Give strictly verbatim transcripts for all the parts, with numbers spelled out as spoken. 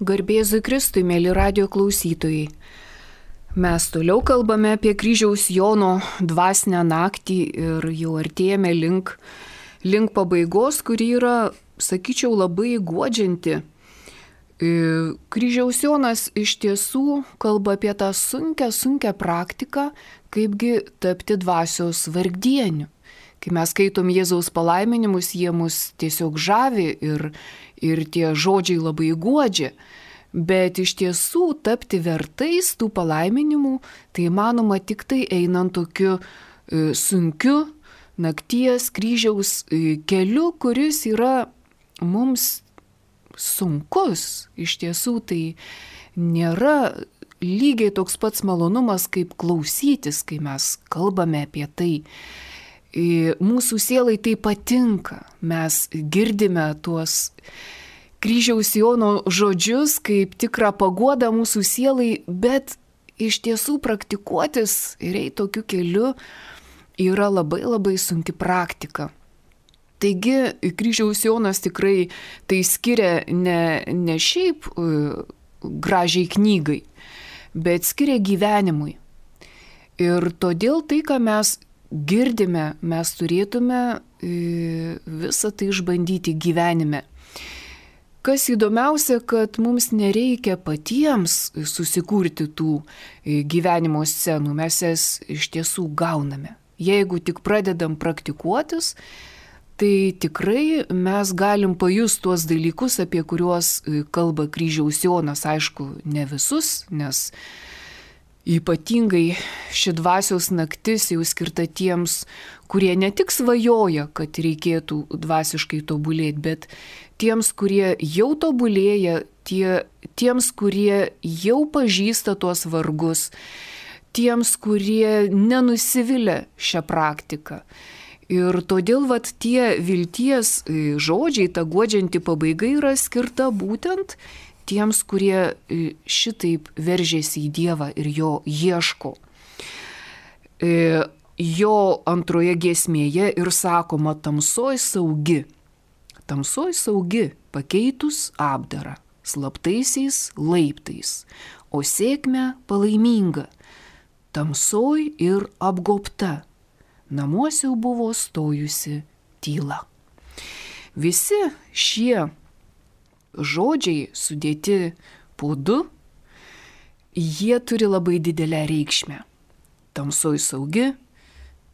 Garbėzui Kristui, mėly radio klausytojai. Mes toliau kalbame apie kryžiaus Jono dvasinę naktį ir jau artėjame link, link pabaigos, kuri yra, sakyčiau, labai guodžianti. Kryžiaus Jonas iš tiesų kalba apie tą sunkę, sunkę praktiką, kaipgi tapti dvasios vargdieniu. Kai mes skaitom Jėzaus palaiminimus, jie mus tiesiog žavi ir, ir tie žodžiai labai guodžia. Bet iš tiesų tapti vertais tų palaiminimų, tai įmanoma tik tai einant tokiu e, sunkiu nakties kryžiaus e, keliu, kuris yra mums sunkus. Iš tiesų tai nėra lygiai toks pats malonumas, kaip klausytis, kai mes kalbame apie tai. Mūsų sielai tai patinka, mes girdime tuos kryžiaus Jono žodžius kaip tikrą paguodą mūsų sielai, bet iš tiesų praktikuotis ir eiti tokiu keliu yra labai labai sunki praktika. Taigi kryžiaus Jonas tikrai tai skiria ne, ne šiaip uh, gražiai knygai, bet skiria gyvenimui. Ir todėl tai, ką mes girdime, mes turėtume visą tai išbandyti gyvenime. Kas įdomiausia, kad mums nereikia patiems susikurti tų gyvenimo scenų, mes jas iš tiesų gauname. Jeigu tik pradedam praktikuotis, tai tikrai mes galim pajusti tuos dalykus, apie kuriuos kalba kryžiaus Jonas, aišku, ne visus, nes ypatingai ši dvasios naktis jau skirta tiems, kurie ne tik svajoja, kad reikėtų dvasiškai tobulėti, bet tiems, kurie jau tobulėja, tie, tiems, kurie jau pažįsta tuos vargus, tiems, kurie nenusivilia šią praktiką. Ir todėl vat, tie vilties žodžiai, ta guodžianti pabaiga yra skirta būtent tiems, kurie šitaip veržėsi į Dievą ir jo ieško. Jo antroje giesmėje ir sakoma tamsoj saugi. Tamsoj saugi, pakeitus apdarą, slaptaisiais laiptais, o sėkmė palaiminga. Tamsoj ir apgobta, namuose jau buvo stojusi tyla. Visi šie žodžiai sudėti po du, jie turi labai didelę reikšmę. Tamsoj saugi,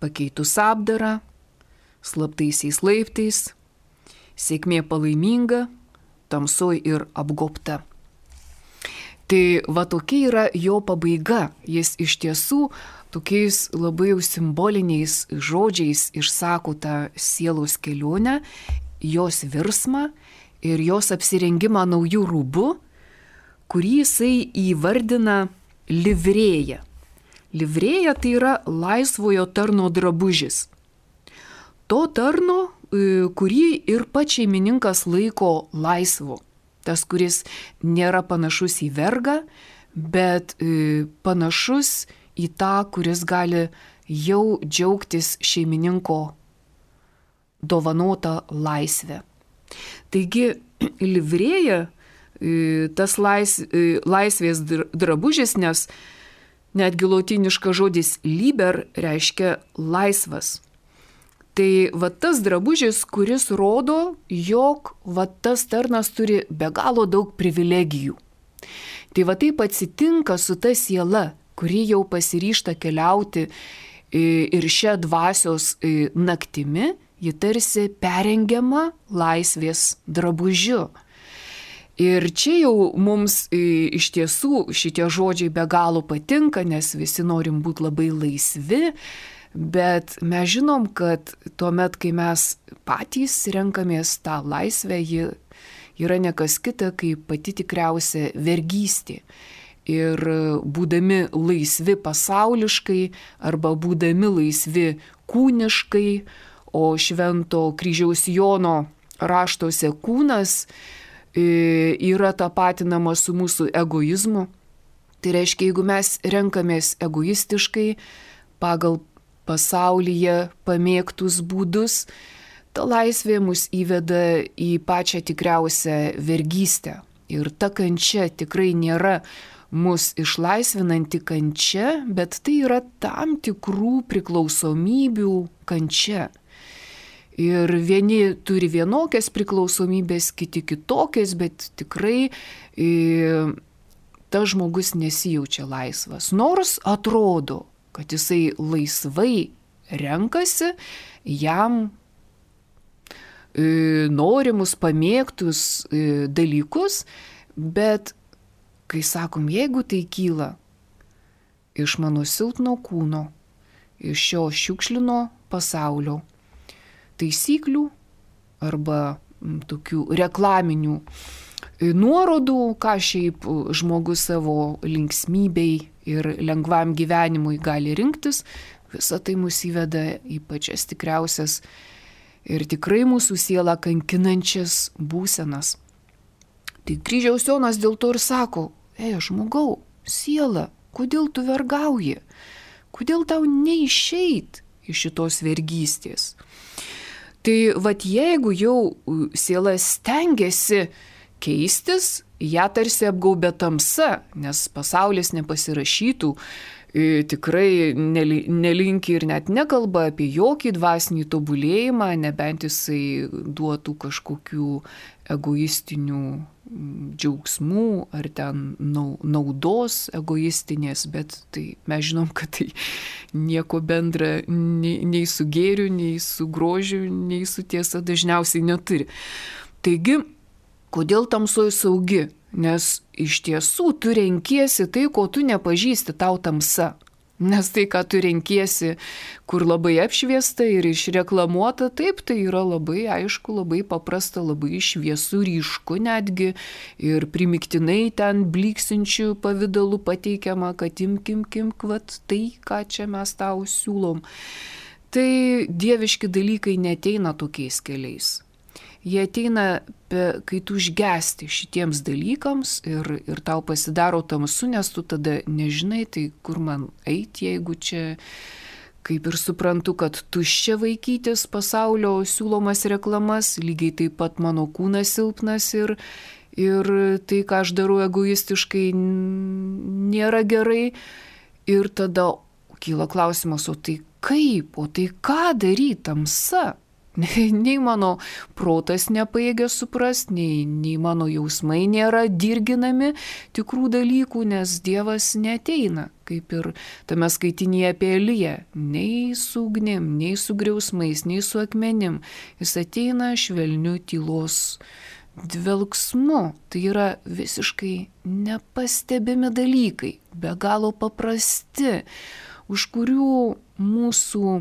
pakeitus apdarą, slaptaisiais laiptais, sėkmė palaiminga, tamsoj ir apgobta. Tai va tokia yra jo pabaiga. Jis iš tiesų tokiais labai jau simboliniais žodžiais išsako tą sielos kelionę, jos virsmą ir jos apsirengimą naujų rūbų, kurį jisai įvardina livrėja. Livrėja tai yra laisvojo tarno drabužis. To tarno, kurį ir pats šeimininkas laiko laisvu. Tas, kuris nėra panašus į vergą, bet panašus į tą, kuris gali jau džiaugtis šeimininko dovanota laisvė. Taigi livrėja, tas lais, laisvės drabužis, nes netgi lotyniškas žodis liber reiškia laisvas. Tai va tas drabužis, kuris rodo, jog va tas tarnas turi be galo daug privilegijų. Tai va taip atsitinka su ta siela, kuri jau pasiryžta keliauti ir šią dvasios naktimi, ji tarsi perengiama laisvės drabužiu. Ir čia jau mums iš tiesų šitie žodžiai be galo patinka, nes visi norim būti labai laisvi, bet mes žinom, kad tuomet, kai mes patys renkamės tą laisvę, ji yra nekas kita, kaip pati tikriausia vergystė. Ir būdami laisvi pasauliškai arba būdami laisvi kūniškai, o švento kryžiaus Jono raštuose kūnas yra tapatinamas su mūsų egoizmu. Tai reiškia, jeigu mes renkamės egoistiškai pagal pasaulyje pamėgtus būdus, ta laisvė mus įveda į pačią tikriausią vergystę. Ir ta kančia tikrai nėra mus išlaisvinanti kančia, bet tai yra tam tikrų priklausomybių kančia. Ir vieni turi vienokias priklausomybės, kiti kitokias, bet tikrai e, tas žmogus nesijaučia laisvas. Nors atrodo, kad jisai laisvai renkasi jam e, norimus, pamėgtus e, dalykus, bet kai sakom, jeigu tai kyla iš mano silpno kūno, iš šio šiukšlino pasaulio taisyklių arba tokių reklaminių nuorodų, ką šiaip žmogus savo linksmybei ir lengvam gyvenimui gali rinktis, visa tai mus įveda į pačias tikriausias ir tikrai mūsų sielą kankinančias būsenas. Tai Kryžiaus Jonas dėl to ir sako, ei, žmogau, siela, kodėl tu vergauji? Kodėl tau neišeit iš šitos vergystės? Tai vat jeigu jau siela stengiasi keistis, ją tarsi apgaubia tamsa, nes pasaulis nepasirašytų, tikrai nelinki ir net nekalba apie jokį dvasinį tobulėjimą, nebent jisai duotų kažkokių egoistinių džiaugsmų ar ten naudos egoistinės, bet tai mes žinom, kad tai nieko bendra nei, nei su gėriu, nei su grožiu, nei su tiesa dažniausiai neturi. Taigi, kodėl tamsoji saugi? Nes iš tiesų tu renkiesi tai, ko tu nepažįsti, tau tamsa. Nes tai, ką tu renkiesi, kur labai apšviesta ir išreklamuota, taip, tai yra labai aišku, labai paprasta, labai šviesu, ryšku netgi ir primiktinai ten bliksinčių pavydalų pateikiama, kad imk, imk, imk, vat tai, ką čia mes tau siūlom. Tai dieviški dalykai neteina tokiais keliais. Jie ateina, kai tu užgesti šitiems dalykams ir, ir tau pasidaro tamsu, nes tu tada nežinai, tai kur man eiti, jeigu čia, kaip ir suprantu, kad tuščia vaikytis pasaulio siūlomas reklamas, lygiai taip pat mano kūnas silpnas ir, ir tai, ką aš darau egoistiškai, nėra gerai. Ir tada kyla klausimas, o tai kaip, o tai ką daryti tamsa? Nei mano protas nepajėgia suprasti, nei, nei mano jausmai nėra dirginami tikrų dalykų, nes Dievas neateina, kaip ir tame skaitinėje apie Eliją, nei su ugnim, nei su griausmais, nei su akmenim. Jis ateina švelniu tylos dvelksmu. Tai yra visiškai nepastebimi dalykai, be galo paprasti, už kurių mūsų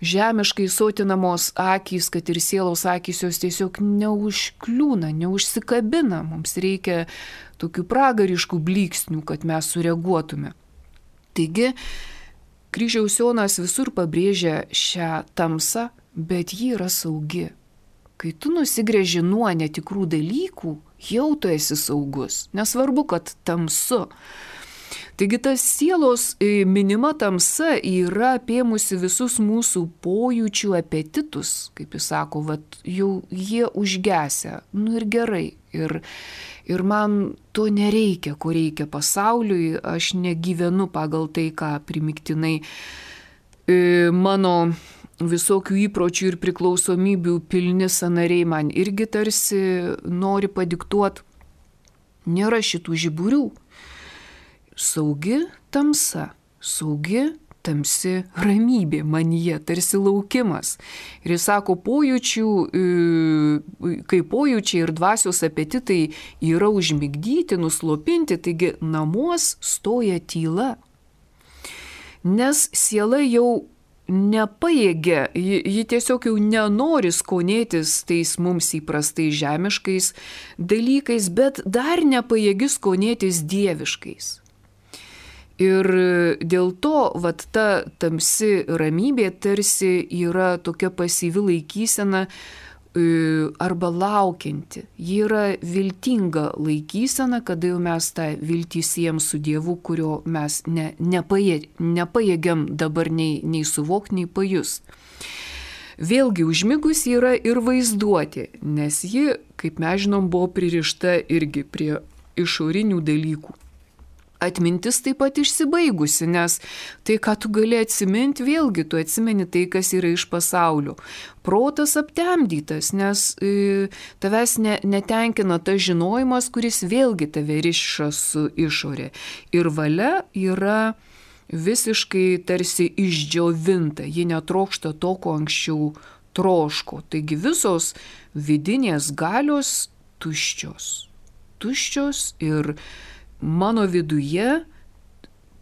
žemiškai sotinamos akys, kad ir sielos akys jos tiesiog neužkliūna, neužsikabina. Mums reikia tokių pragariškų blyksnių, kad mes sureaguotume. Taigi, Kryžiaus Jonas visur pabrėžia šią tamsą, bet ji yra saugi. Kai tu nusigręži nuo netikrų dalykų, jau tu esi saugus. Nesvarbu, kad tamsu. Taigi tas sielos minima tamsa yra apėmusi visus mūsų pojūčių apetitus, kaip jis sako, vat, jau jie užgesia, nu ir gerai. Ir, ir man to nereikia, ko reikia pasauliui, aš negyvenu pagal tai, ką primiktinai e, mano visokių įpročių ir priklausomybių pilni sąnariai man irgi tarsi nori padiktuoti. Nėra šitų žiburių. Saugi tamsa, saugi tamsi ramybė manyje, tarsi laukimas. Ir jis sako, pojūčių, kai pojūčiai ir dvasios apetitai yra užmigdyti, nuslopinti, taigi namuos stoja tyla. Nes siela jau nepajėgia, ji, ji tiesiog jau nenori skonėtis tais mums įprastais žemiškais dalykais, bet dar nepajėgi skonėtis dieviškais. Ir dėl to vat, ta tamsi ramybė tarsi yra tokia pasyvi laikysena arba laukianti. Ji yra viltinga laikysena, kada jau mes tą viltį siejam su Dievu, kurio mes ne, nepajė, nepajėgiam dabar nei, nei suvokti, nei pajust. Vėlgi užmigus yra ir vaizduotė, nes ji, kaip mes žinom, buvo pririšta irgi prie išorinių dalykų. Atmintis taip pat išsibaigusi, nes tai, ką tu gali atsiminti, vėlgi tu atsimeni tai, kas yra iš pasaulio. Protas aptemdytas, nes e, tavęs ne, netenkina tas žinojimas, kuris vėlgi tave riša su išorė. Ir valia yra visiškai tarsi išdžiovinta, ji netrokšta to, ko anksčiau troško. Taigi visos vidinės galios tuščios. Tuščios ir mano viduje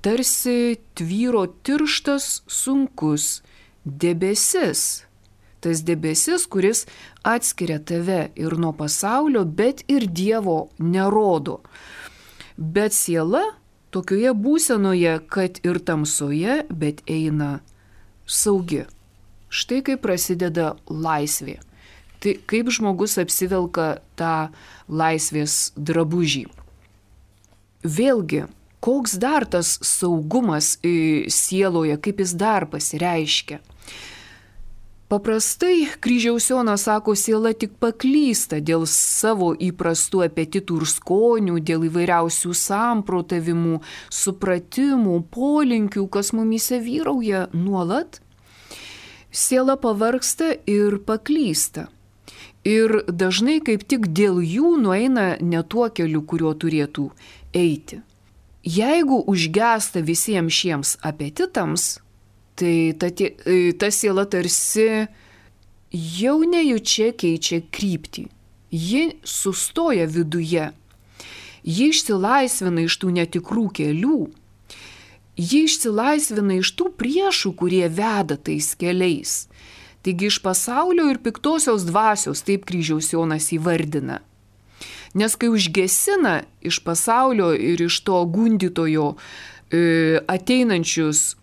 tarsi tvyro tirštas, sunkus debesis. Tas debesis, kuris atskiria tave ir nuo pasaulio, bet ir Dievo nerodo. Bet siela tokioje būsenoje, kad ir tamsoje, bet eina saugi. Štai kaip prasideda laisvė. Tai kaip žmogus apsivelka tą laisvės drabužį. Vėlgi, koks dar tas saugumas sieloje, kaip jis dar pasireiškia. Paprastai Kryžiaus Jonas sako, siela tik paklysta dėl savo įprastų apetitų ir skonių, dėl įvairiausių samprotavimų, supratimų, polinkių, kas mumyse vyrauja nuolat. Siela pavargsta ir paklysta. Ir dažnai kaip tik dėl jų nueina ne tuo keliu, kuriuo turėtų eiti. Jeigu užgesta visiems šiems apetitams, tai ta, ta siela tarsi jau nejučia keičia kryptį. Ji sustoja viduje. Ji išsilaisvina iš tų netikrų kelių. Ji išsilaisvina iš tų priešų, kurie veda tais keliais. Taigi iš pasaulio ir piktosios dvasios, taip Kryžiaus Jonas įvardina. Nes kai užgesina iš pasaulio ir iš to gundytojo e, ateinančius,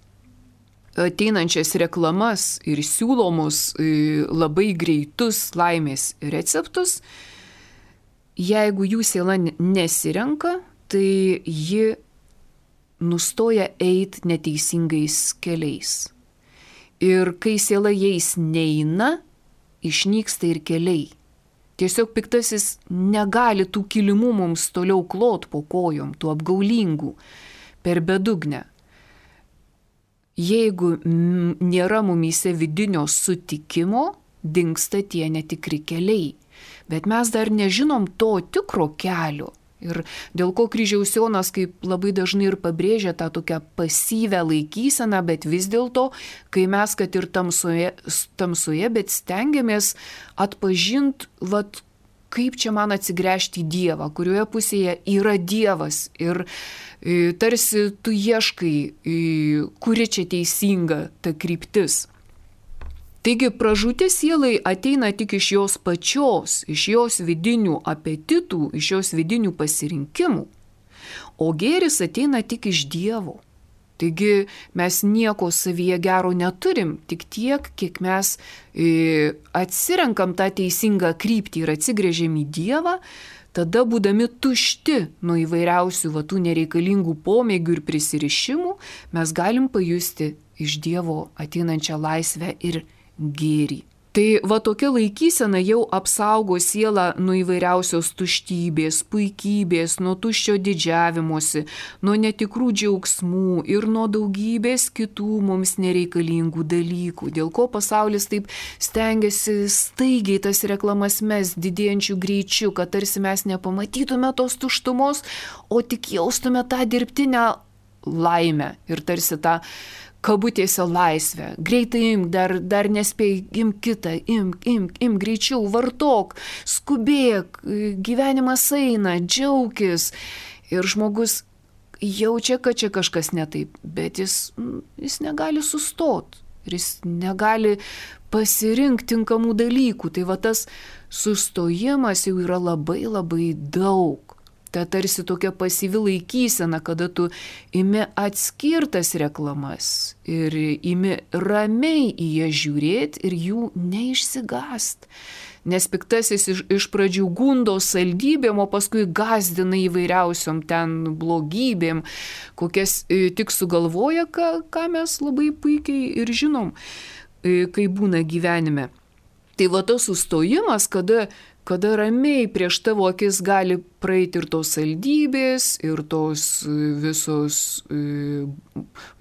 ateinančias reklamas ir siūlomus e, labai greitus laimės receptus, jeigu jų siela nesirenka, tai ji nustoja eiti neteisingais keliais. Ir kai siela jais neina, išnyksta ir keliai. Tiesiog piktasis negali tų kilimų mums toliau klot po kojom, tų apgaulingų, per bedugnę. Jeigu nėra mumyse vidinio sutikimo, dingsta tie netikri keliai. Bet mes dar nežinom to tikro kelio. Ir dėl ko Kryžiaus Jonas kaip labai dažnai ir pabrėžia tą tokią pasyvę laikyseną, bet vis dėlto, kai mes kad ir tamsoje, tamsoje bet stengiamės atpažinti, vat, kaip čia man atsigręžti į Dievą, kurioje pusėje yra Dievas ir e, tarsi tu ieškai, e, kuri čia teisinga ta kryptis. Taigi pražūti sielai ateina tik iš jos pačios, iš jos vidinių apetitų, iš jos vidinių pasirinkimų, o gėris ateina tik iš Dievo. Taigi mes nieko savyje gero neturim, tik tiek, kiek mes e, atsirenkam tą teisingą kryptį ir atsigrėžiam į Dievą, tada būdami tušti nuo įvairiausių va, tų nereikalingų pomėgių ir prisirišimų, mes galim pajusti iš Dievo ateinančią laisvę ir gėrį. Tai va tokia laikysena jau apsaugo sielą nuo įvairiausios tuštybės, puikybės, nuo tuščio didžiavimosi, nuo netikrų džiaugsmų ir nuo daugybės kitų mums nereikalingų dalykų, dėl ko pasaulis taip stengiasi staigiai tas reklamas mes didėjančių greičių, kad tarsi mes nepamatytume tos tuštumos, o tik jaustume tą dirbtinę laimę ir tarsi tą kabutėse laisvę. Greitai imk, dar, dar nespėj, imk kitą, imk, imk, imk, greičiau, vartok, skubėk, gyvenimas eina, džiaukis. Ir žmogus jaučia, kad čia kažkas ne taip, bet jis, jis negali sustot. Ir jis negali pasirinkti tinkamų dalykų. Tai va tas sustojimas jau yra labai labai daug. Ta tarsi tokia pasyvi laikysena, kada tu imi atskirtas reklamas ir imi ramiai į jas žiūrėti ir jų neišsigąst. Nes piktasis iš, iš pradžių gundo saldybėm, o paskui gazdina įvairiausiom ten blogybėm, kokias e, tik sugalvoja, ką, ką mes labai puikiai ir žinom. kai būna gyvenime. Tai va tas sustojimas, kada, kada ramiai prieš tavo akis gali praeiti ir tos saldybės, ir tos visos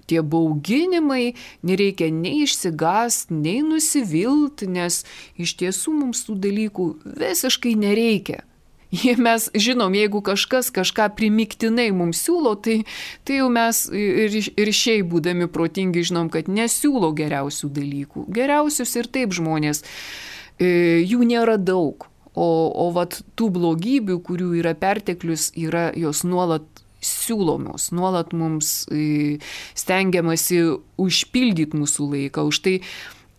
tie bauginimai, nereikia nei išsigąsti, nei nusivilti, nes iš tiesų mums tų dalykų visiškai nereikia. Jei mes žinom, jeigu kažkas kažką primiktinai mums siūlo, tai, tai jau mes ir, ir šiaip būdami protingi žinom, kad nesiūlo geriausių dalykų. Geriausius ir taip žmonės, jų nėra daug, o, o vat tų blogybių, kurių yra perteklius, yra jos nuolat siūlomos, nuolat mums stengiamasi užpildyti mūsų laiką. Už tai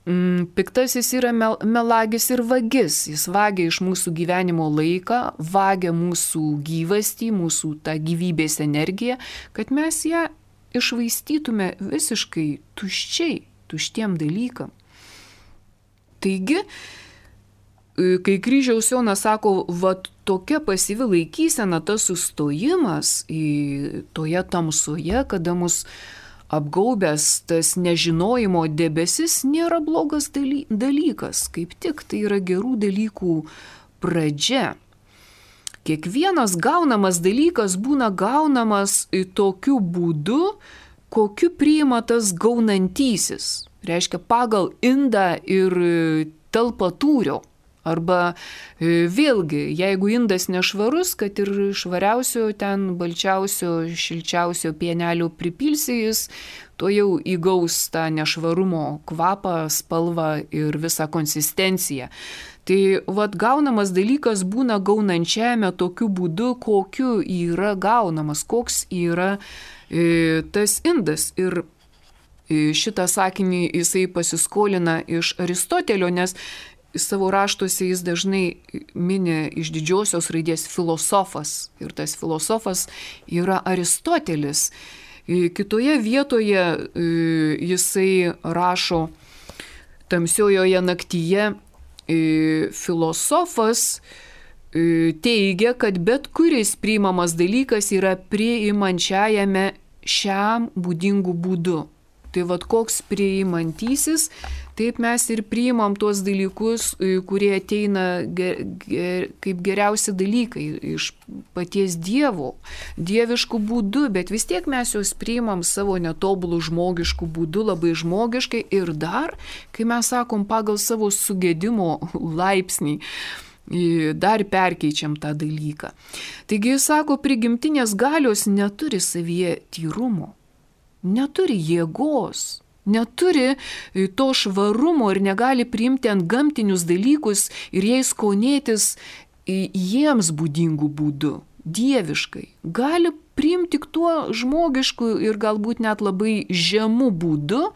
piktasis yra mel, melagis ir vagis. Jis vagia iš mūsų gyvenimo laiką, vagia mūsų gyvastį, mūsų tą gyvybės energiją, kad mes ją išvaistytume visiškai tuščiai, tuštiem dalykam. Taigi, kai kryžiaus Jonas sako, va tokia pasyvi laikysena, tas sustojimas į toje tamsoje, kada mus apgaubęs tas nežinojimo debesis, nėra blogas dalykas, kaip tik tai yra gerų dalykų pradžia. Kiekvienas gaunamas dalykas būna gaunamas tokiu būdu, kokiu priima tas gaunantysis. Reiškia pagal indą ir talpatūrio. Arba vėlgi, jeigu indas nešvarus, kad ir švariausio ten balčiausio, šilčiausio pienelio pripilsi, jis to jau įgaus tą nešvarumo kvapą, spalvą ir visą konsistenciją. Tai vat gaunamas dalykas būna gaunančiame tokiu būdu, kokiu yra gaunamas, koks yra e, tas indas. Ir šitą sakinį jisai pasiskolina iš Aristotelio, nes savo raštuose jis dažnai mini iš didžiosios raidės filosofas. Ir tas filosofas yra Aristotelis. Kitoje vietoje jisai rašo tamsiojoje naktyje, filosofas teigia, kad bet kuris priimamas dalykas yra priimančiajame šiam būdingu būdu. Tai vad koks priimantysis, taip mes ir priimam tuos dalykus, kurie ateina ger, ger, kaip geriausi dalykai iš paties Dievo, dieviškų būdų, bet vis tiek mes juos priimam savo netobulų žmogiškų būdų, labai žmogiškai ir dar, kai mes sakom pagal savo sugedimo laipsnį, dar perkeičiam tą dalyką. Taigi jis sako, prigimtinės galios neturi savyje tyrumo. Neturi jėgos, neturi to švarumo ir negali priimti ant gamtinius dalykus ir jais skonėtis jiems būdingų būdų, dieviškai. Gali priimti tik tuo žmogišku ir galbūt net labai žemu būdu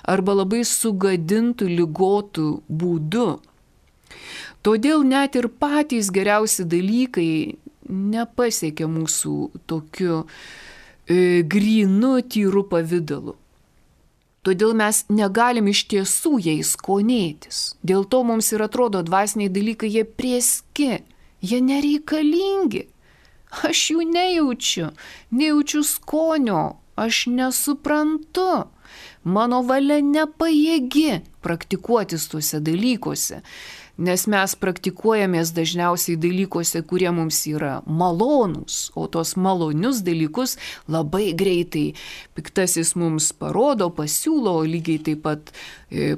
arba labai sugadintų, ligotų būdu. Todėl net ir patys geriausi dalykai nepasiekia mūsų tokiu grynu, tyru pavidalu. Todėl mes negalim iš tiesų jais skonėtis. Dėl to mums ir atrodo dvasiniai dalykai, jie prieski, jie nereikalingi. Aš jų nejaučiu, nejaučiu skonio, aš nesuprantu. Mano valia nepajėgi praktikuotis tuose dalykuose. Nes mes praktikuojamės dažniausiai dalykuose, kurie mums yra malonūs, o tos malonius dalykus labai greitai piktasis mums parodo, pasiūlo, lygiai taip pat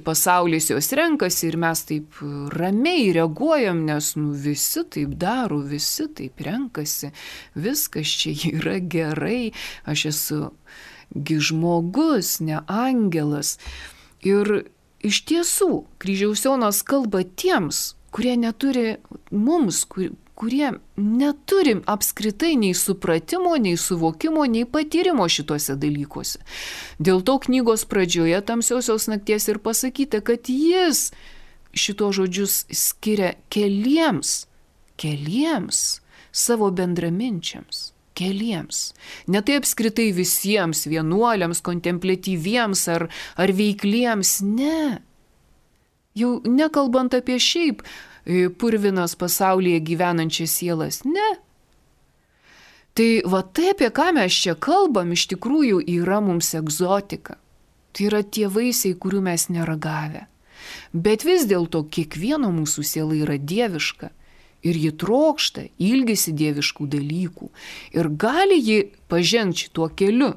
pasaulis jos renkasi ir mes taip ramiai reaguojam, nes nu, visi taip daro, visi taip renkasi, viskas čia yra gerai, aš esu gi žmogus, ne angelas. Ir iš tiesų, kryžiaus Jonas kalba tiems, kurie neturi mums, kur, kurie neturi apskritai nei supratimo, nei suvokimo, nei patyrimo šituose dalykuose. Dėl to knygos pradžioje tamsiosios nakties ir pasakyta, kad jis šito žodžius skiria keliems, keliems savo bendraminčiams. Keliems. Ne tai apskritai visiems vienuoliams, kontempliatyviems ar, ar veikliems, ne. Jau nekalbant apie šiaip purvinas pasaulyje gyvenančias sielas, ne. Tai va tai, apie ką mes čia kalbam, iš tikrųjų yra mums egzotika. Tai yra tie vaisiai, kurių mes neragavę. Bet vis dėlto kiekvieno mūsų siela yra dieviška. Ir ji trokšta, ilgisi dieviškų dalykų. Ir gali ji pažengti šituo keliu.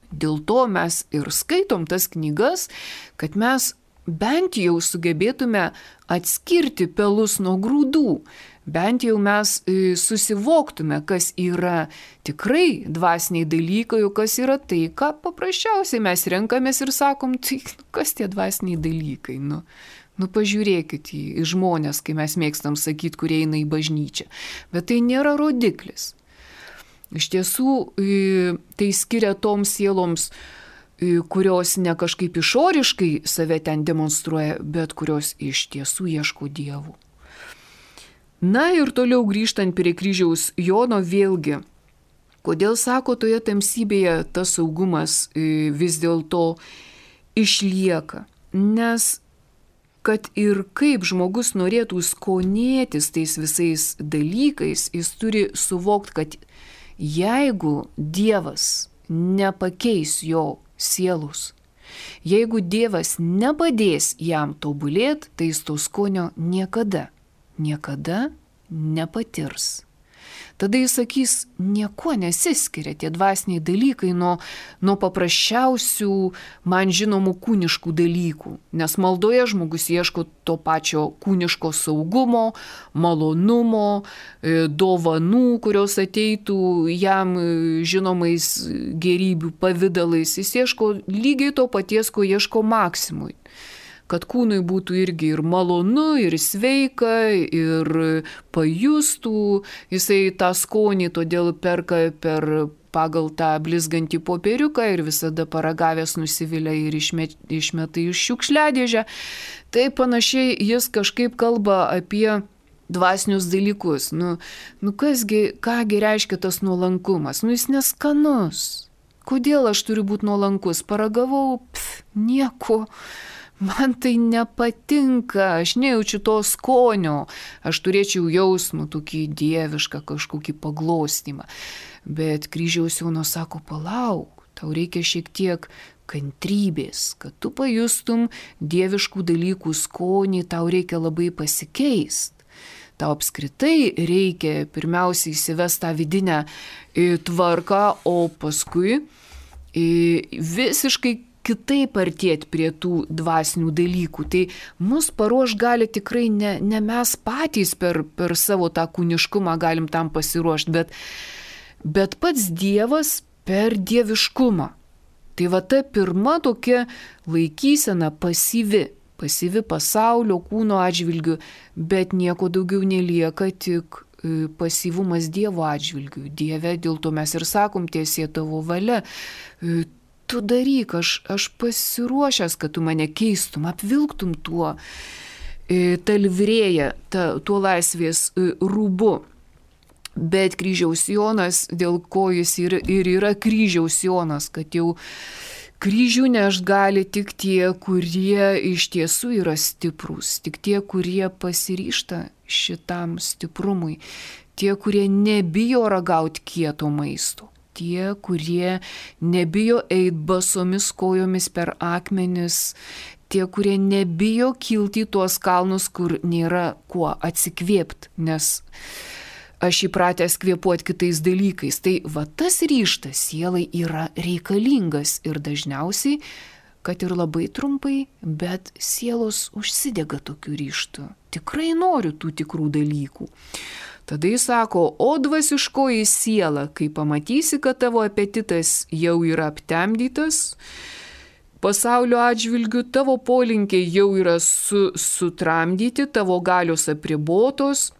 Dėl to mes ir skaitom tas knygas, kad mes bent jau sugebėtume atskirti pelus nuo grūdų. Bent jau mes susivoktume, kas yra tikrai dvasiniai dalykai, o kas yra tai, ką paprasčiausiai mes renkamės ir sakom, tai kas tie dvasiniai dalykai, nu. Nu, pažiūrėkit į, į žmonės, kai mes mėgstam sakyti, kurie eina į bažnyčią. Bet tai nėra rodiklis. Iš tiesų, tai skiria toms sieloms, kurios ne kažkaip išoriškai save ten demonstruoja, bet kurios iš tiesų ieško dievų. Na ir toliau grįžtant prie kryžiaus Jono vėlgi, kodėl sako toje tamsybėje tas saugumas vis dėlto išlieka, nes kad ir kaip žmogus norėtų skonėtis tais visais dalykais, jis turi suvokti, kad jeigu Dievas nepakeis jo sielos, jeigu Dievas nepadės jam tobulėti, tai jis to skonio niekada, niekada nepatirs. Tada jis sakys, nieko nesiskiria tie dvasiniai dalykai nuo, nuo paprasčiausių man žinomų kūniškų dalykų. Nes maldoje žmogus ieško to pačio kūniško saugumo, malonumo, dovanų, kurios ateitų jam žinomais gerybių pavydalais. Jis ieško lygiai to paties, ko ieško Maksimui. Kad kūnui būtų irgi ir malonu, ir sveika, ir pajustų, jisai tą skonį todėl perka per pagal tą blizgantį popieriuką ir visada paragavęs nusivilia ir išmet, išmeta iš šiukšliadėžę. Tai panašiai jis kažkaip kalba apie dvasinius dalykus. Nu, nu kasgi, kągi reiškia tas nuolankumas? Nu jis neskanus. Kodėl aš turiu būti nuolankus? Paragavau, pf, nieko. Man tai nepatinka, aš nejaučiu to skonio, aš turėčiau jausmų tokį dievišką kažkokį paglostymą. Bet kryžiaus Jonas sako, palauk, tau reikia šiek tiek kantrybės, kad tu pajustum dieviškų dalykų skonį, tau reikia labai pasikeist. Tau apskritai reikia pirmiausiai įsivesti tą vidinę tvarką, o paskui visiškai kitaip artėti prie tų dvasinių dalykų. Tai mus paruoš gali tikrai ne, ne mes patys per, per savo tą kūniškumą galim tam pasiruošti, bet, bet pats Dievas per dieviškumą. Tai va ta pirma tokia laikysena pasyvi, pasyvi pasaulio kūno atžvilgių, bet nieko daugiau nelieka, tik pasyvumas Dievo atžvilgių. Dieve, dėl to mes ir sakom, tiesie tavo valia. Tu daryk, aš, aš pasiruošęs, kad tu mane keistum, apvilktum tuo, tą livrėją, tuo laisvės rūbu. Bet kryžiaus Jonas, dėl ko jis ir, ir yra kryžiaus Jonas, kad jau kryžių nešt gali tik tie, kurie iš tiesų yra stiprūs, tik tie, kurie pasiryžta šitam stiprumui, tie, kurie nebijo ragauti kieto maisto. Tie, kurie nebijo eit basomis kojomis per akmenis, tie, kurie nebijo kilti į tuos kalnus, kur nėra kuo atsikvėpti, nes aš įpratęs kvėpuoti kitais dalykais. Tai va tas ryžtas sielai yra reikalingas ir dažniausiai, kad ir labai trumpai, bet sielos užsidega tokiu ryžtu. Tikrai noriu tų tikrų dalykų. Tada jis sako, o dvasiškoji siela, kai pamatysi, kad tavo apetitas jau yra aptemdytas, pasaulio atžvilgių tavo polinkiai jau yra su, sutramdyti, tavo galios apribotos,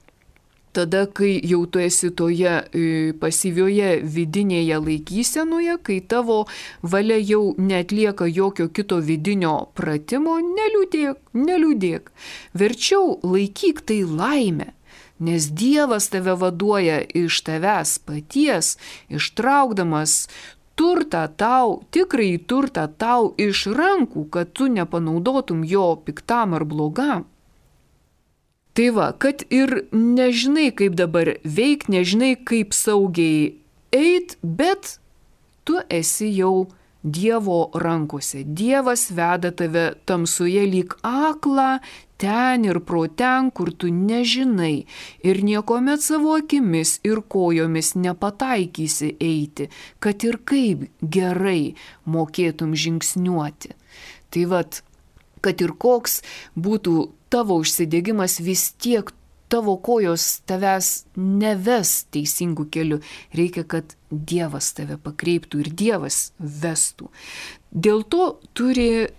tada, kai jau tu esi toje pasyvioje vidinėje laikysenoje, kai tavo valia jau netlieka jokio kito vidinio pratimo, neliūdėk, neliūdėk. Verčiau laikyk tai laimę. Nes Dievas tave vaduoja iš tavęs paties, ištraukdamas turtą tau, tikrąjį turtą tau iš rankų, kad tu nepanaudotum jo piktam ar blogam. Tai va, kad ir nežinai, kaip dabar veik, nežinai, kaip saugiai eit, bet tu esi jau Dievo rankose. Dievas veda tave tamsoje lyg aklą, ten ir pro ten, kur tu nežinai ir niekomet savo akimis ir kojomis nepataikysi eiti, kad ir kaip gerai mokėtum žingsniuoti. Tai vat, kad ir koks būtų tavo užsidegimas, vis tiek tavo kojos tavęs neves teisingų kelių. Reikia, kad Dievas tave pakreiptų ir Dievas vestų. Dėl to turi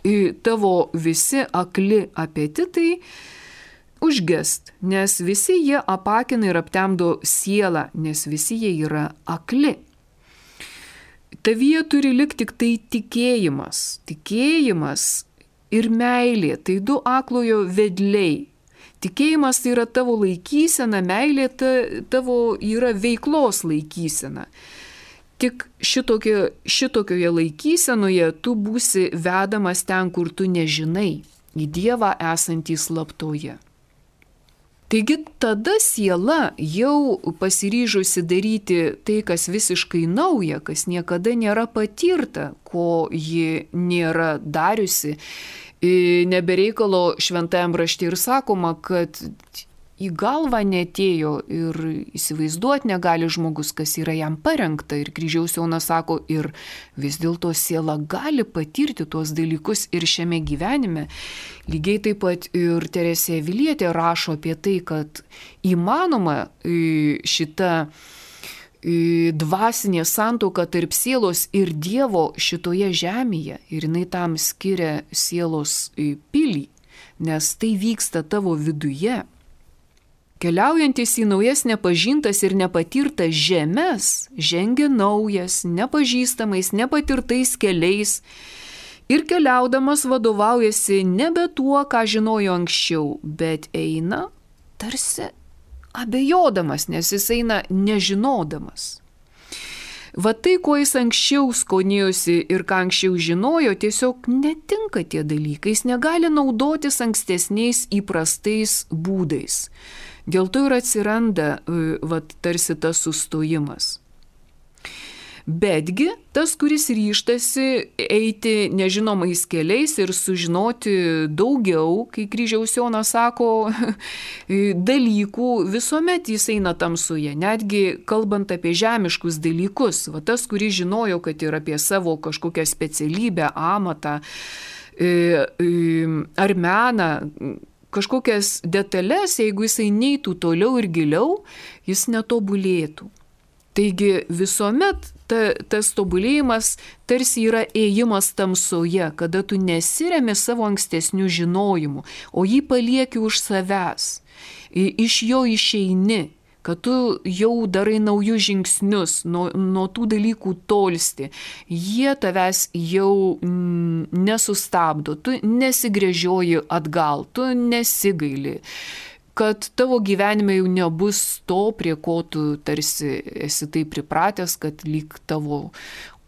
tavo visi akli apetitai užgest, nes visi jie apakina ir aptemdo sielą, nes visi jie yra akli. Tavyje turi likti tik tai tikėjimas. Tikėjimas ir meilė, tai du aklojo vedliai. Tikėjimas tai yra tavo laikysena, meilė ta, tavo yra veiklos laikysena. Tik šitokio, šitokioje laikysenoje tu būsi vedamas ten, kur tu nežinai, į Dievą esantį slaptoje. Taigi tada siela jau pasiryžusi daryti tai, kas visiškai nauja, kas niekada nėra patirta, ko ji nėra dariusi. Nebereikalo šventajam rašte ir sakoma, kad į galvą netėjo ir įsivaizduoti negali žmogus, kas yra jam parengta. Ir Kryžiaus Jonas sako, ir vis dėlto siela gali patirti tuos dalykus ir šiame gyvenime. Lygiai taip pat ir Teresė Avilietė rašo apie tai, kad įmanoma šita dvasinė santuoka tarp sielos ir Dievo šitoje žemėje, ir jinai tam skiria sielos pilį, nes tai vyksta tavo viduje. Keliaujantis į naujas nepažintas ir nepatirtas žemes, žengia naujas, nepažįstamais, nepatirtais keliais ir keliaudamas vadovaujasi nebe tuo, ką žinojo anksčiau, bet eina tarsi abejodamas, nes jis eina nežinodamas. Va tai, ko jis anksčiau skonėjosi ir ką anksčiau žinojo, tiesiog netinka tie dalykai, jis negali naudotis ankstesniais įprastais būdais. Dėl to ir atsiranda va, tarsi tas sustojimas. Betgi tas, kuris ryžtasi eiti nežinomais keliais ir sužinoti daugiau, kai Kryžiaus Jonas sako, dalykų, visuomet jis eina tamsoje, netgi kalbant apie žemiškus dalykus. Va tas, kuris žinojo, kad ir apie savo kažkokią specialybę, amatą ar meną, kažkokias detalės, jeigu jisai neitų toliau ir giliau, jis netobulėtų. Taigi visuomet ta, tas tobulėjimas tarsi yra ėjimas tamsoje, kada tu nesiremi savo ankstesnių žinojimų, o jį palieki už savęs, iš jo išeini, kad tu jau darai naujus žingsnius, nuo, nuo tų dalykų tolsti, jie tavęs jau mm, nesustabdo, tu nesigręžioji atgal, tu nesigaili, kad tavo gyvenime jau nebus to, prie ko tu tarsi esi taip pripratęs, kad lyg tavo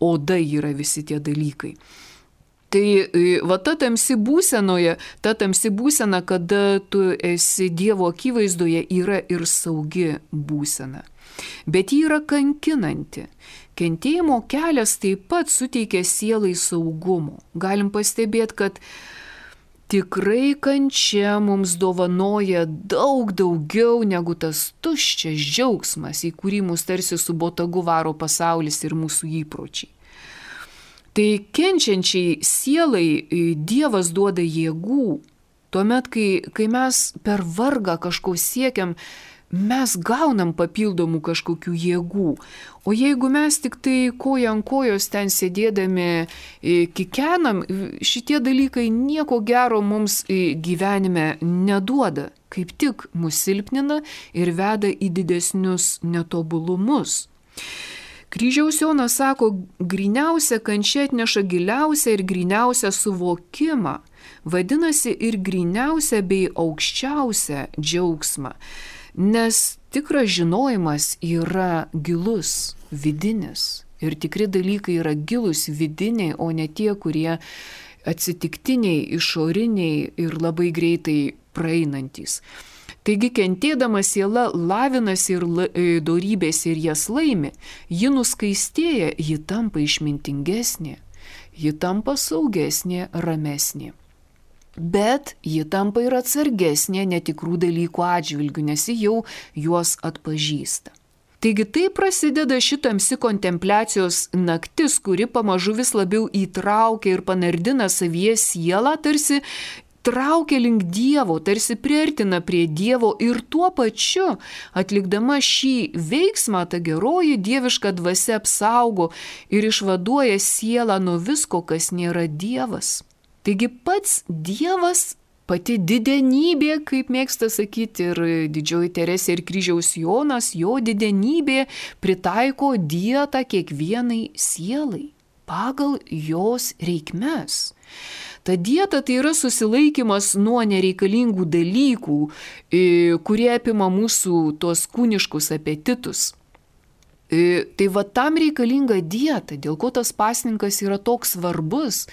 oda yra visi tie dalykai. Tai va ta tamsi būsenoje, ta tamsi būsena, kada tu esi Dievo akivaizdoje, yra ir saugi būsena. Bet ji yra kankinanti. Kentėjimo kelias taip pat suteikia sielai saugumo. Galim pastebėti, kad tikrai kančia mums dovanoja daug daugiau negu tas tuščias džiaugsmas, į kurį mus tarsi su botagu varo pasaulis ir mūsų įpročiai. Tai kenčiančiai sielai Dievas duoda jėgų. Tuomet, kai, kai mes per vargą kažko siekiam, mes gaunam papildomų kažkokių jėgų. O jeigu mes tik tai koja ant kojos ten sėdėdami kikenam, šitie dalykai nieko gero mums gyvenime neduoda. Kaip tik mus silpnina ir veda į didesnius netobulumus. Kryžiaus Jonas sako, gryniausia kančia atneša giliausią ir gryniausią suvokimą, vadinasi ir gryniausią bei aukščiausią džiaugsmą. Nes tikras žinojimas yra gilus, vidinis. Ir tikri dalykai yra gilus, vidiniai, o ne tie, kurie atsitiktiniai, išoriniai ir labai greitai praeinantys. Taigi kentėdama siela lavinasi ir dorybės ir jas laimi, ji nuskaistėja, ji tampa išmintingesnė. ji tampa saugesnė, ramesnė. Bet ji tampa ir atsargesnė netikrų dalykų atžvilgių, nes ji jau juos atpažįsta. Taigi tai prasideda šitamsi kontempliacijos naktis, kuri pamažu vis labiau įtraukia ir panardina savyje sielą, tarsi traukia link Dievo, tarsi priartina prie Dievo ir tuo pačiu, atlikdama šį veiksmą, ta geroji dieviška dvasia apsaugo ir išvaduoja sielą nuo visko, kas nėra Dievas. Taigi pats Dievas, pati didenybė, kaip mėgsta sakyti ir didžioji Teresė ir kryžiaus Jonas, jo didenybė pritaiko dietą kiekvienai sielai pagal jos reikmes. Ta dieta tai yra susilaikimas nuo nereikalingų dalykų, kurie apima mūsų tuos kūniškus apetitus. Tai va tam reikalinga dieta, dėl ko tas pasninkas yra toks svarbus.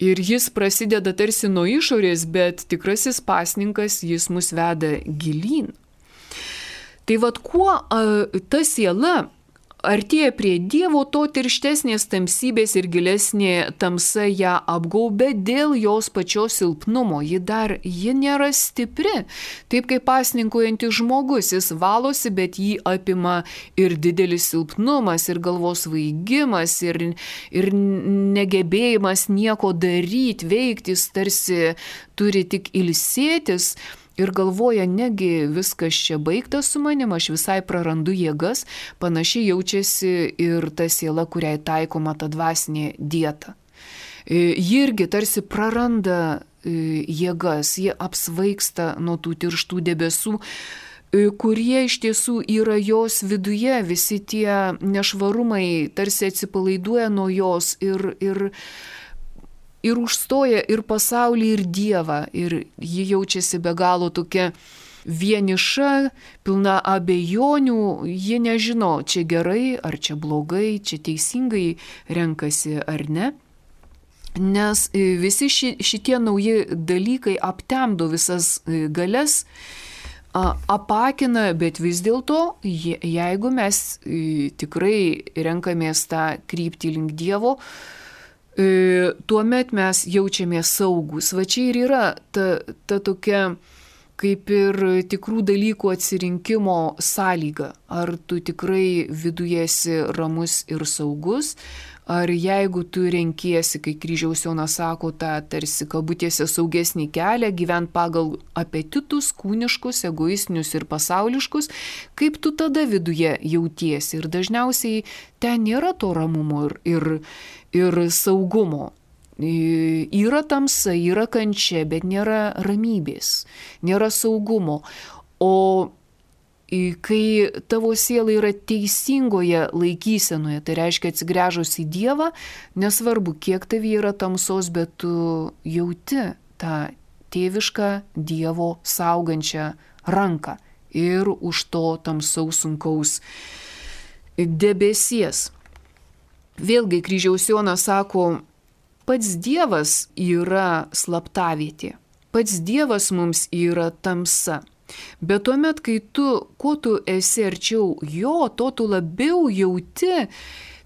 Ir jis prasideda tarsi nuo išorės, bet tikrasis pasninkas jis mus veda gilyn. Tai vad kuo a, ta siela artėja prie Dievo, to tirštesnės tamsybės ir gilesnė tamsa ją apgaubia dėl jos pačios silpnumo. Ji dar, ji nėra stipri. Taip kaip pasninkuojantis žmogus, jis valosi, bet jį apima ir didelis silpnumas, ir galvos svaigimas, ir, ir negebėjimas nieko daryti, veikti, jis tarsi turi tik ilsėtis. Ir galvoja, negi viskas čia baigtas su manim, aš visai prarandu jėgas, panašiai jaučiasi ir ta siela, kuriai taikoma ta dvasinė dieta. Ji irgi tarsi praranda jėgas, ji apsvaigsta nuo tų tirštų debesų, kurie iš tiesų yra jos viduje, visi tie nešvarumai tarsi atsipalaiduoja nuo jos ir... ir Ir užstoja ir pasaulį, ir Dievą, ir ji jaučiasi be galo tokia vieniša, pilna abejonių, ji nežino, čia gerai, ar čia blogai, čia teisingai renkasi ar ne. Nes visi ši, šitie nauji dalykai aptemdo visas galias, apakina, bet vis dėlto, jeigu mes tikrai renkamės tą kryptį link Dievo, tuomet mes jaučiamės saugus. Va čia ir yra ta, ta tokia kaip ir tikrų dalykų atsirinkimo sąlyga. Ar tu tikrai viduje esi ramus ir saugus, ar jeigu tu renkiesi, kai kryžiaus Jonas sako, tą tarsi kabutėse saugesnį kelią, gyvent pagal apetitus, kūniškus, egoistinius ir pasauliškus, kaip tu tada viduje jautiesi. Ir dažniausiai ten nėra to ramumo ir, ir ir saugumo. Yra tamsa, yra kančia, bet nėra ramybės, nėra saugumo. O kai tavo siela yra teisingoje laikysenoje, tai reiškia atsigręžus į Dievą, nesvarbu, kiek tavyje yra tamsos, bet tu jauti tą tėvišką Dievo saugančią ranką ir už to tamsaus sunkaus debesies. Vėlgi kryžiaus Jonas sako, pats Dievas yra slaptavietė, pats Dievas mums yra tamsa. Bet tuomet, kai tu, kuo tu esi arčiau jo, to tu labiau jauti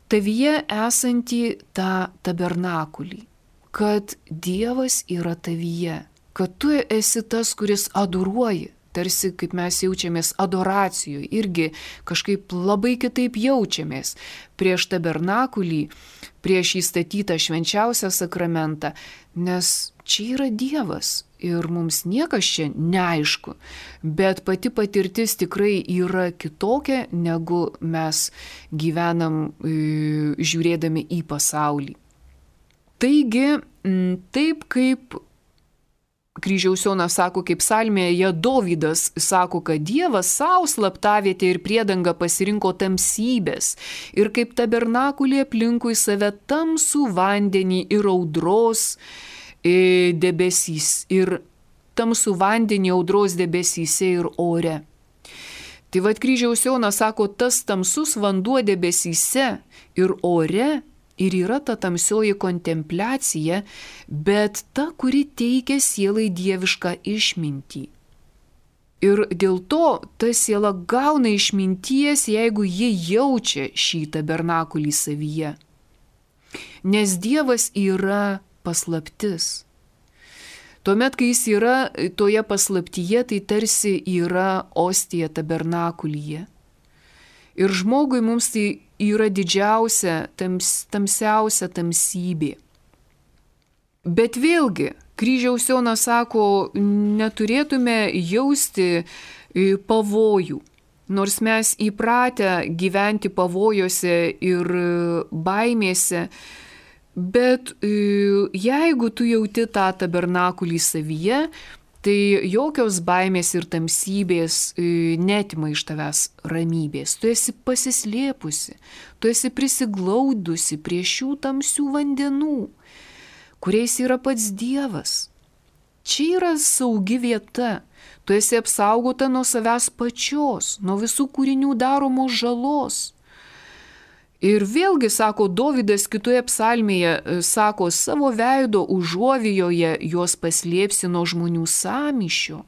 tavyje esantį tą tabernakulį, kad Dievas yra tavyje, kad tu esi tas, kuris adoruoji. Tarsi, kaip mes jaučiamės adoracijoje, irgi kažkaip labai kitaip jaučiamės prieš tabernakulį, prieš įstatytą švenčiausią sakramentą, nes čia yra Dievas ir mums niekas čia neaišku, bet pati patirtis tikrai yra kitokia, negu mes gyvenam žiūrėdami į pasaulį. Taigi, taip kaip kryžiaus Jonas sako, kaip psalmėje Dovydas sako, kad Dievas savo slaptavietę ir priedangą pasirinko tamsybės ir kaip tabernakulį aplinkui save tamsų vandenį ir audros debesys ir tamsų vandenį audros debesyse ir ore. Tai vad kryžiaus Jonas sako, tas tamsus vanduo debesyse ir ore ir yra ta tamsioji kontempliacija, bet ta, kuri teikia sielai dievišką išmintį. Ir dėl to ta siela gauna išminties, jeigu ji jaučia šį tabernakulį savyje. Nes Dievas yra paslaptis. Tuomet, kai jis yra toje paslaptyje, tai tarsi yra ostija tabernakulyje. Ir žmogui mums tai yra didžiausia, tams, tamsiausia tamsybė. Bet vėlgi, kryžiaus Jonas sako, neturėtume jausti pavojų. Nors mes įpratę gyventi pavojuose ir baimėse, bet jeigu tu jauti tą tabernakulį savyje, tai jokios baimės ir tamsybės netima iš tavęs ramybės. Tu esi pasislėpusi, tu esi prisiglaudusi prie šių tamsių vandenų, kuriais yra pats Dievas. Čia yra saugi vieta. Tu esi apsaugota nuo savęs pačios, nuo visų kūrinių daromos žalos. Ir vėlgi, sako Dovydas kitoje psalmėje, sako, savo veido užuovijoje juos paslėpsi nuo žmonių sąmyšio,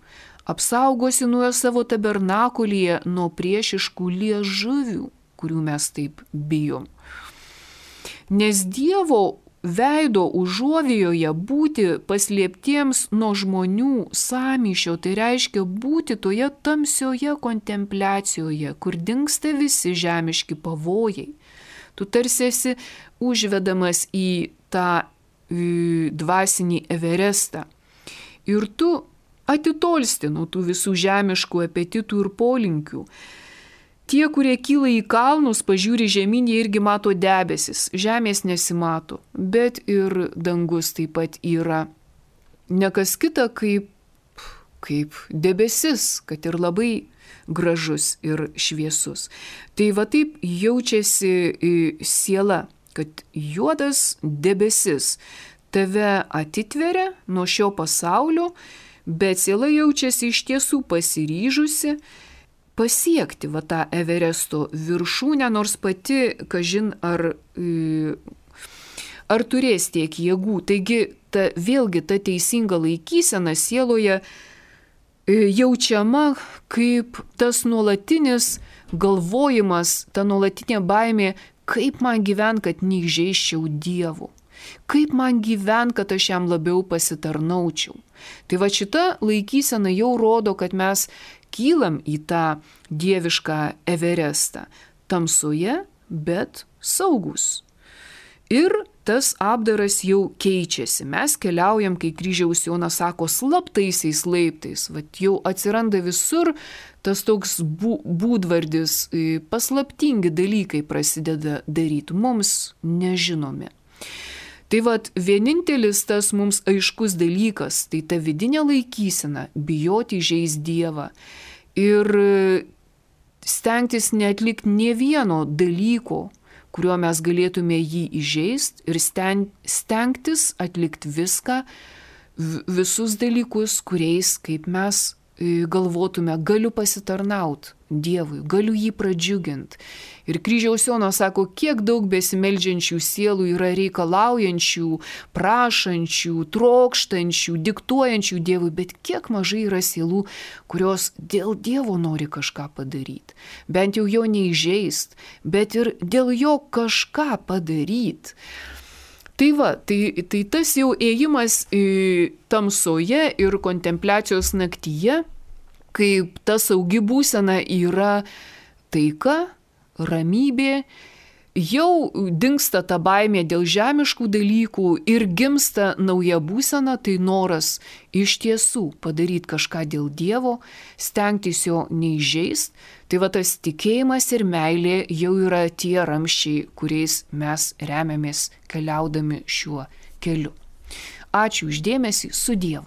apsaugosi nuo savo tabernakulyje nuo priešiškų liežuvių, kurių mes taip bijom. Nes Dievo veido užuovijoje būti paslėptiems nuo žmonių sąmyšio, tai reiškia būti toje tamsioje kontempliacijoje, kur dingsta visi žemiški pavojai. Tu tarsi esi užvedamas į tą į, dvasinį Everestą. Ir tu atitolsti nuo tų visų žemiškų apetitų ir polinkių. Tie, kurie kyla į kalnus, pažiūri žemyn, jie irgi mato debesis. Žemės nesimato, bet ir dangus taip pat yra nekas kita kaip, kaip debesis, kad ir labai gražus ir šviesus. Tai va taip jaučiasi siela, kad juodas debesis tave atitveria nuo šio pasaulio, bet siela jaučiasi iš tiesų pasiryžusi pasiekti va tą Everesto viršūnę, nors pati, kažin, ar, ar turės tiek jėgų. Taigi, ta, vėlgi ta teisinga laikysena sieloje jaučiama kaip tas nuolatinis galvojimas, ta nuolatinė baimė, kaip man gyvent, kad neįžeisčiau Dievo. Kaip man gyvent, kad aš jam labiau pasitarnaučiau. Tai va šita laikysena jau rodo, kad mes kylam į tą dievišką Everestą. Tamsoje, bet saugus. Ir tas apdaras jau keičiasi. Mes keliaujam, kai kryžiaus Jonas sako, slaptaisiais laiptais. Vat jau atsiranda visur tas toks būdvardis, paslaptingi dalykai prasideda daryti, mums nežinomi. Tai vat vienintelis tas mums aiškus dalykas, tai ta vidinė laikysena, bijoti įžeisti Dievą ir stengtis neatlikti nė vieno dalyko, kuriuo mes galėtume jį įžeisti ir stengtis atlikti viską, visus dalykus, kuriais, kaip mes galvotume, galiu pasitarnauti Dievui, galiu jį pradžiuginti. Ir kryžiaus Jonas sako, kiek daug besimeldžiančių sielų yra reikalaujančių, prašančių, trokštančių, diktuojančių Dievui, bet kiek mažai yra sielų, kurios dėl Dievo nori kažką padaryti. Bent jau jo neįžeist, bet ir dėl jo kažką padaryti. Tai va, tai, tai tas jau ėjimas tamsoje ir kontempliacijos naktyje, kaip ta saugi būsena yra taika, ramybė, jau dingsta ta baimė dėl žemiškų dalykų ir gimsta nauja būsena, tai noras iš tiesų padaryti kažką dėl Dievo, stengtis jo neįžeist. Tai va tas tikėjimas ir meilė jau yra tie ramščiai, kuriais mes remiamės keliaudami šiuo keliu. Ačiū už dėmesį, su Dievu.